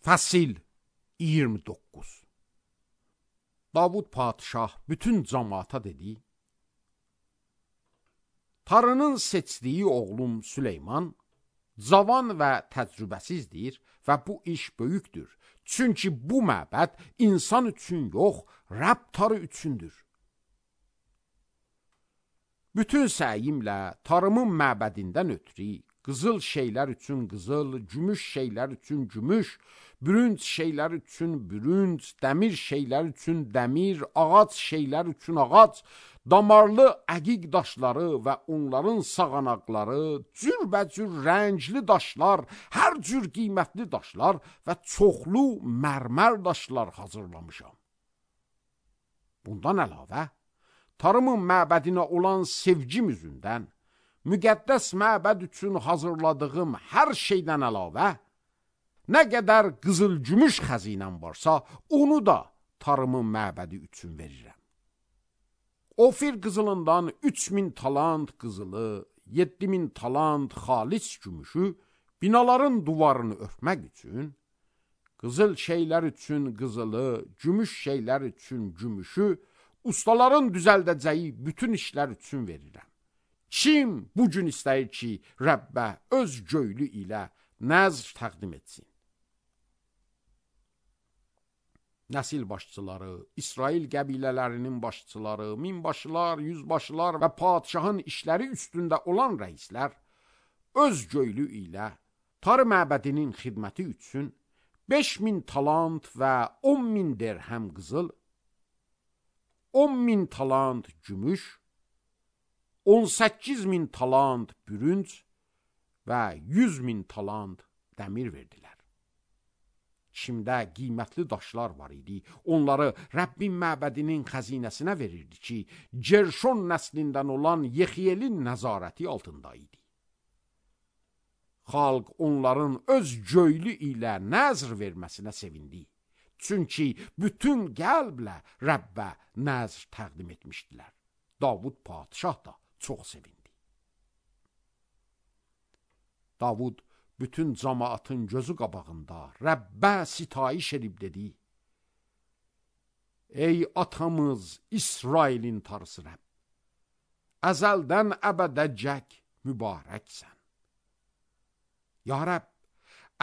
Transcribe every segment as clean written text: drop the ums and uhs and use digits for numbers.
Fəsil 29. Davud padişah bütün cəmaata dedi: Tarının seçdiyi oğlum Süleyman cavan və təcrübəsizdir və bu iş böyükdür. Çünki bu məbəd insan üçün yox, Rəbb tarı üçündür. Bütün səyimlə tarımın məbədindən ötürü qızıl şeylər üçün qızıl, gümüş şeylər üçün gümüş, bürünc şeylər üçün bürünc, dəmir şeylər üçün dəmir, ağac şeylər üçün ağac, damarlı əqiq daşları və onların sağanaqları, cürbəcür rəngli daşlar, hər cür qiymətli daşlar və çoxlu mərmər daşlar hazırlamışam. Bundan əlavə, tarımın məbədinə olan sevgim üzündən, müqəddəs məbəd üçün hazırladığım hər şeydən əlavə, nə qədər qızıl-gümüş xəzinəm varsa, onu da tarımın məbədi üçün verirəm. Ofir qızılından 3000 talant qızılı, 7000 talant xalis gümüşü, binaların duvarını örtmək üçün, qızıl şeylər üçün qızılı, gümüş şeylər üçün gümüşü, ustaların düzəldəcəyi bütün işlər üçün verirəm. Kim bu gün istəyir ki, Rəbbə öz göylü ilə nəzr təqdim etsin? Nəsil başçıları, İsrail qəbilələrinin başçıları, minbaşılar, yüzbaşılar və padişahın işləri üstündə olan rəislər öz göylü ilə tarı məbədinin xidməti üçün 5000 talant və 10.000 dirhəm qızıl, 10.000 talant gümüş, 18.000 talant bürünc və 100.000 talant dəmir verdilər. Kimdə qiymətli daşlar var idi, onları Rəbbin məbədinin xəzinəsinə verirdi ki, Gerşon nəslindən olan Yexiyelin nəzarəti altında idi. Xalq onların öz göylü ilə nəzr verməsinə sevindi. Çünki bütün qəlblə Rəbbə nəzr təqdim etmişdilər. Davud padişah da çox sevindi. Davud bütün cəmaatın gözü qabağında Rəbbə sitayiş edib dedi: Ey atamız İsrailin tarısı Rəbb, əzəldən əbədəcək mübarəksən. Ya Rəbb,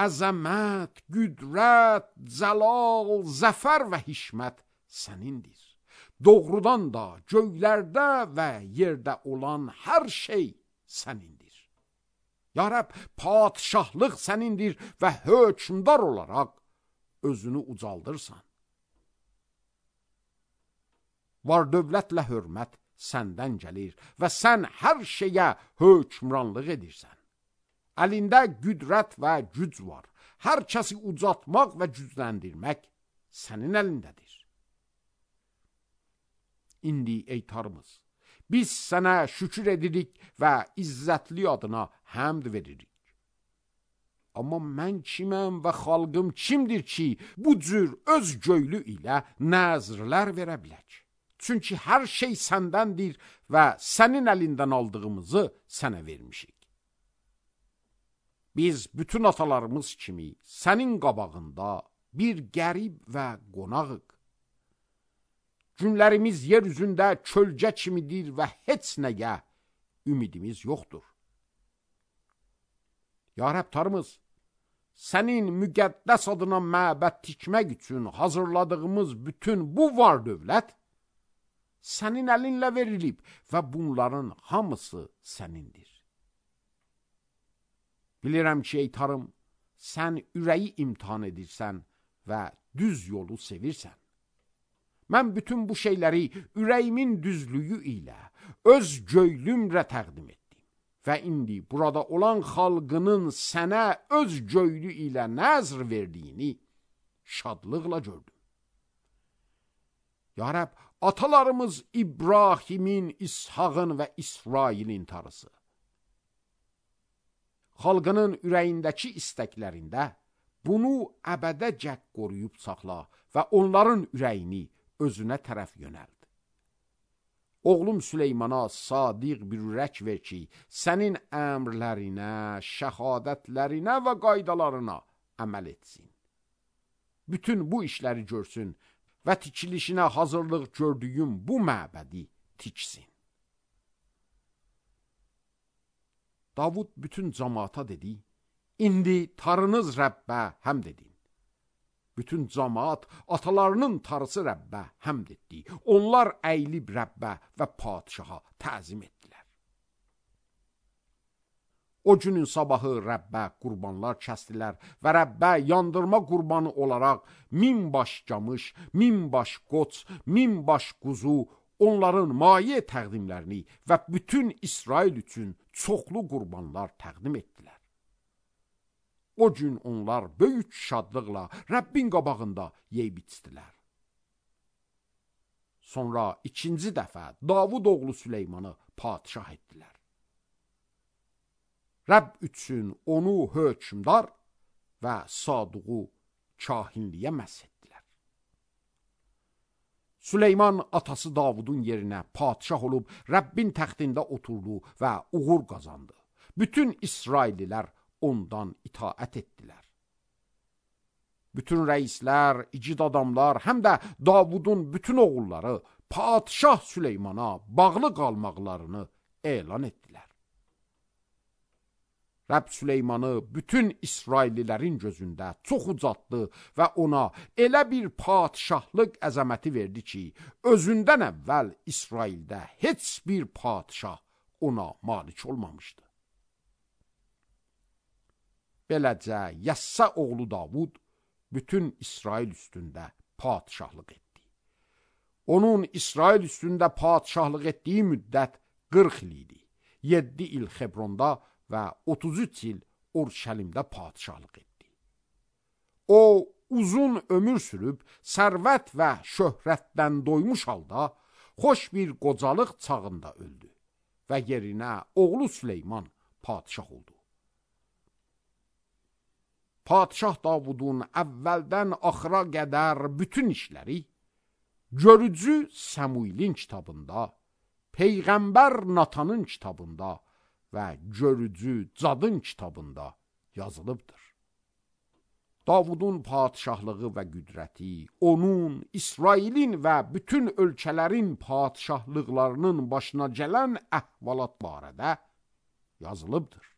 əzəmət, qüdrət, cəlal, zəfər və hikmət sənindir. Doğrudan da göylərdə və yerdə olan hər şey sənindir. Ya Rəbb, padişahlıq sənindir və hökmdar olaraq özünü ucaldırsan. Var dövlətlə hörmət səndən gəlir və sən hər şeyə hökmranlıq edirsən. Əlində qüdrət və güc var. Hər kəsi ucaltmaq və gücləndirmək sənin əlindədir. İndi ey tarımız, biz sənə şükür edirik və izzətli adına həmd veririk. Amma mən kiməm və xalqım kimdir ki, bu cür öz göylü ilə nəzrlər verə bilək? Çünki hər şey səndəndir və sənin əlindən aldığımızı sənə vermişik. Biz bütün atalarımız kimi sənin qabağında bir qərib və qonağıq. Günlərimiz yer üzündə kölgə kimidir və heç nəyə ümidimiz yoxdur. Ya Rəbb tarımız, sənin müqəddəs adına məbəd tikmək üçün hazırladığımız bütün bu var dövlət sənin əlinlə verilib və bunların hamısı sənindir. Bilirəm ki, ey tarım, sən ürəyi imtihan edirsən və düz yolu sevirsən. Mən bütün bu şeyləri ürəyimin düzlüyü ilə öz göylümlə təqdim etdim və indi burada olan xalqının sənə öz göylü ilə nəzr verdiyini şadlıqla gördüm. Ya Rəbb, atalarımız İbrahimin, İshağın və İsrailin tarısı. Xalqının ürəyindəki istəklərində bunu əbədəcək qoruyub saxla və onların ürəyini özünə tərəf yönəld. Oğlum Süleymana sadiq bir ürək ver ki, sənin əmrlərinə, şəhadətlərinə və qaydalarına əməl etsin. bütün bu işləri görsün və tikilişinə hazırlıq gördüyüm bu məbədi tiksin. Davud bütün cemaata dedi, indi tarınız Rəbbə həmd edin. Bütün cemaat atalarının tarısı Rəbbə həmd etdi. Onlar əyilib Rəbbə və padişaha təzim etdilər. O günün sabahı Rəbbə qurbanlar kəsdilər və Rəbbə yandırma qurbanı olaraq 1000 baş camış, 1000 baş qoç, 1000 baş quzu, onların maye təqdimlərini və bütün İsrail üçün çoxlu qurbanlar təqdim etdilər. O gün onlar böyük şadlıqla Rəbbin qabağında yeyib içdilər. Sonra ikinci dəfə Davud oğlu Süleymanı padişah etdilər. Rəbb üçün onu hökmdar və Sadıqu kahinliyə məs etdilər. Süleyman atası Davudun yerinə padişah olub Rəbbin təxtində oturdu və uğur qazandı. Bütün İsraillilər ondan itaət etdilər. Bütün rəislər, igid adamlar, həm də Davudun bütün oğulları padişah Süleymana bağlı qalmaqlarını elan etdilər. Rəbb Süleymanı bütün İsraillilərin gözündə çox ucaltdı və ona elə bir padişahlıq əzəməti verdi ki, özündən əvvəl İsraildə heç bir padişah ona malik olmamışdı. Beləcə, Yəssa oğlu Davud bütün İsrail üstündə padişahlıq etdi. Onun İsrail üstündə padişahlıq etdiyi müddət 40 il idi. 7 il Xebronda və 33 il Urşəlimdə padişahlıq etdi. O, uzun ömür sürüb, sərvət və şöhrətdən doymuş halda, xoş bir qocalıq çağında öldü və yerinə oğlu Süleyman padişah oldu. Padişah Davudun əvvəldən axıra qədər bütün işləri görücü Səmuilin kitabında, Peyğəmbər Natanın kitabında və görücü Cadın kitabında yazılıbdır. Davudun padişahlığı və qüdrəti, onun, İsrailin və bütün ölkələrin padişahlıqlarının başına gələn əhvalat barədə yazılıbdır.